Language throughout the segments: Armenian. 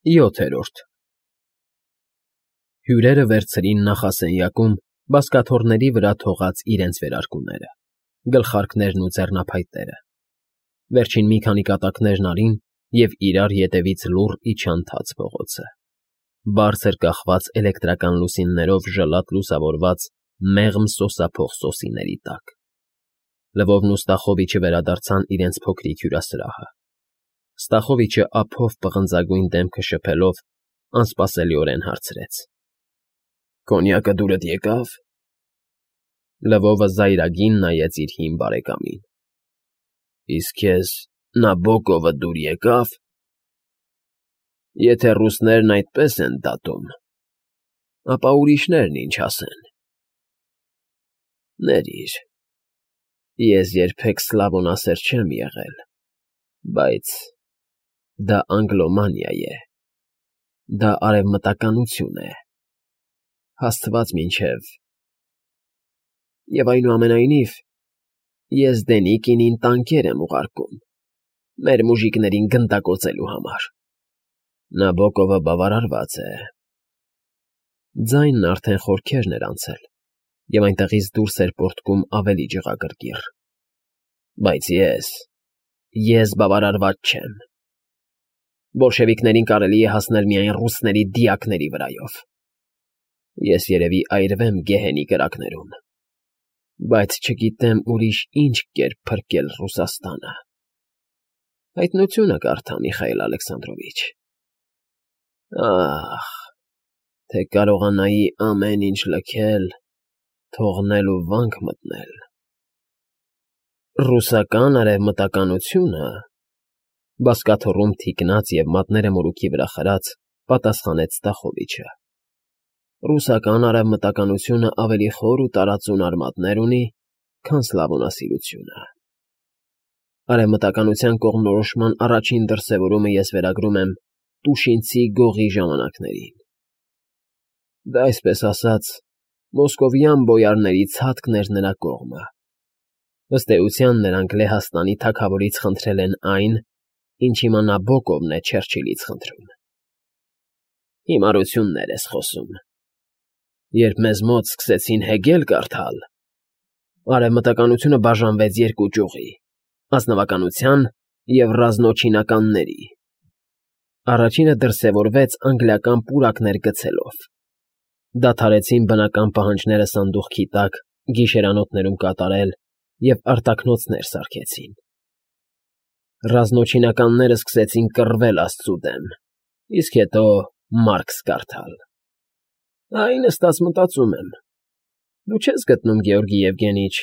7-րդ Հյուրերը վերցրին նախասենյակում բազկաթոռների վրա թողած իրենց վերարկուները, գլխարկներն ու ձեռնափայտերը, վերջին մի քանի կատակներն արին և իրար ետևից լուռ իջան թաց փողոցը, բարձր կախված էլեկտրական լուսիններով ժլատ լուսավորված մեղմ սոսափող սոսիների տակ։ Լվովն ու Ստախովիչը վերադարձան իրենց փոքրիկ հյուրասրահը։ Ստախովիչը ափով պղնձագույն դեմքը շփելով անսպասելիորեն հարցրեց. «Կոնյակը դուրդ եկա՞վ»։ Լվովը զայրագին նայեց իր հին բարեկամին։ «Իսկ քեզ Նաբոկովը դուր եկա՞վ»։ «Եթե ռուսներն այդպես են դատում, ապա ուրիշներն ինչ ասեն»։ «Ներիր, ես երբեք Սլավոնասեր չեմ եղել, բայց դա Անգլոմանիա է, դա արևմտականություն է, հասցված մինչև… Եվ այնուամենայնիվ, ես Դենիկինին տանկեր եմ ուղարկում, մեր մուժիկներին գնդակոծելու համար։ Նաբոկովը բավարարված է»։ Ձայնն արդեն խորքերն էր անցել, և այնտեղից դուրս էր պոռթկում ավելի ջղագրկիռ։ «Բայց ես բավարարված չեմ։ Բոլշևիկներին կարելի է հասնել միայն ռուսների դիակների վրայով։ Ես երևի այրվեմ գեհենի կրակներում, բայց չգիտեմ ուրիշ ինչ կերպ փրկել Ռուսաստանը։ Հայտնությունը կարդա, Միխայել Ալեքսանդրովիչ։ Ահ, թե կարողանայի ամեն ինչ լքել, թողնել ու վանք մտնել»։ «Ռուսական արևմտականությունը…»։ Բազկաթոռում թիկնած և մատները մորուքի վրա խրած՝ պատասխանեց Ստախովիչը։ «Ռուսական արևմտականությունը ավելի խոր ու տարածուն արմատներ ունի, քան Սլավոնասիրությունը։ Արևմտականության կողմնորոշման առաջին դրսևորումը ես վերագրում եմ Տուշինցի գողի ժամանակներին։ Դա, այսպես ասած, մոսկովյան բոյարների ցատկն էր նրա կողմը։ Ըստ էության, նրանք Լեհաստանի թագավորից խնդրել են այն, ինչ հիմա Նաբոկովն է Չերչիլից խնդրում։ Հիմարություններ ես խոսում։ Երբ մեզ մոտ սկսեցին Հեգել կարդալ, արևմտականությունը բաժանվեց երկու ճյուղի՝ ազնվականության և ռազմաչինականների։ Առաջինը դրսևորվեց անգլիական պուրակներ գցելով։ Դադարեցին բնական պահանջները սանդուղքի տակ գիշերանոթներում կատարել և արտաքնոցներ սարքեցին։ Ռազմաչինականները սկսեցին կռվել աստծու դեմ, իսկ հետո Մարքս կարդալ։ Այն նստած մտածում եմ. դու չես գտնում, Գեորգի Եվգենիչ,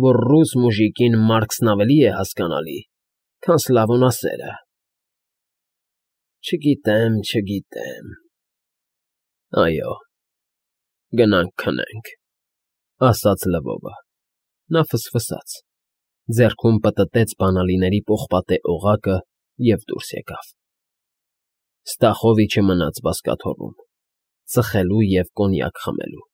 որ ռուս մուժիկին Մարքսն ավելի է հասկանալի, քան Սլավոնասերը։ Չգիտեմ։ Այո, գնանք քնենք, ասաց Լվովը։ Նա ֆսֆսաց, ձեռքում պտտեց բանալիների պողպատե օղակը և դուրս եկավ։ Ստախովիչը մնաց բազկաթոռում, ծխելու և կոնյակ խմելու։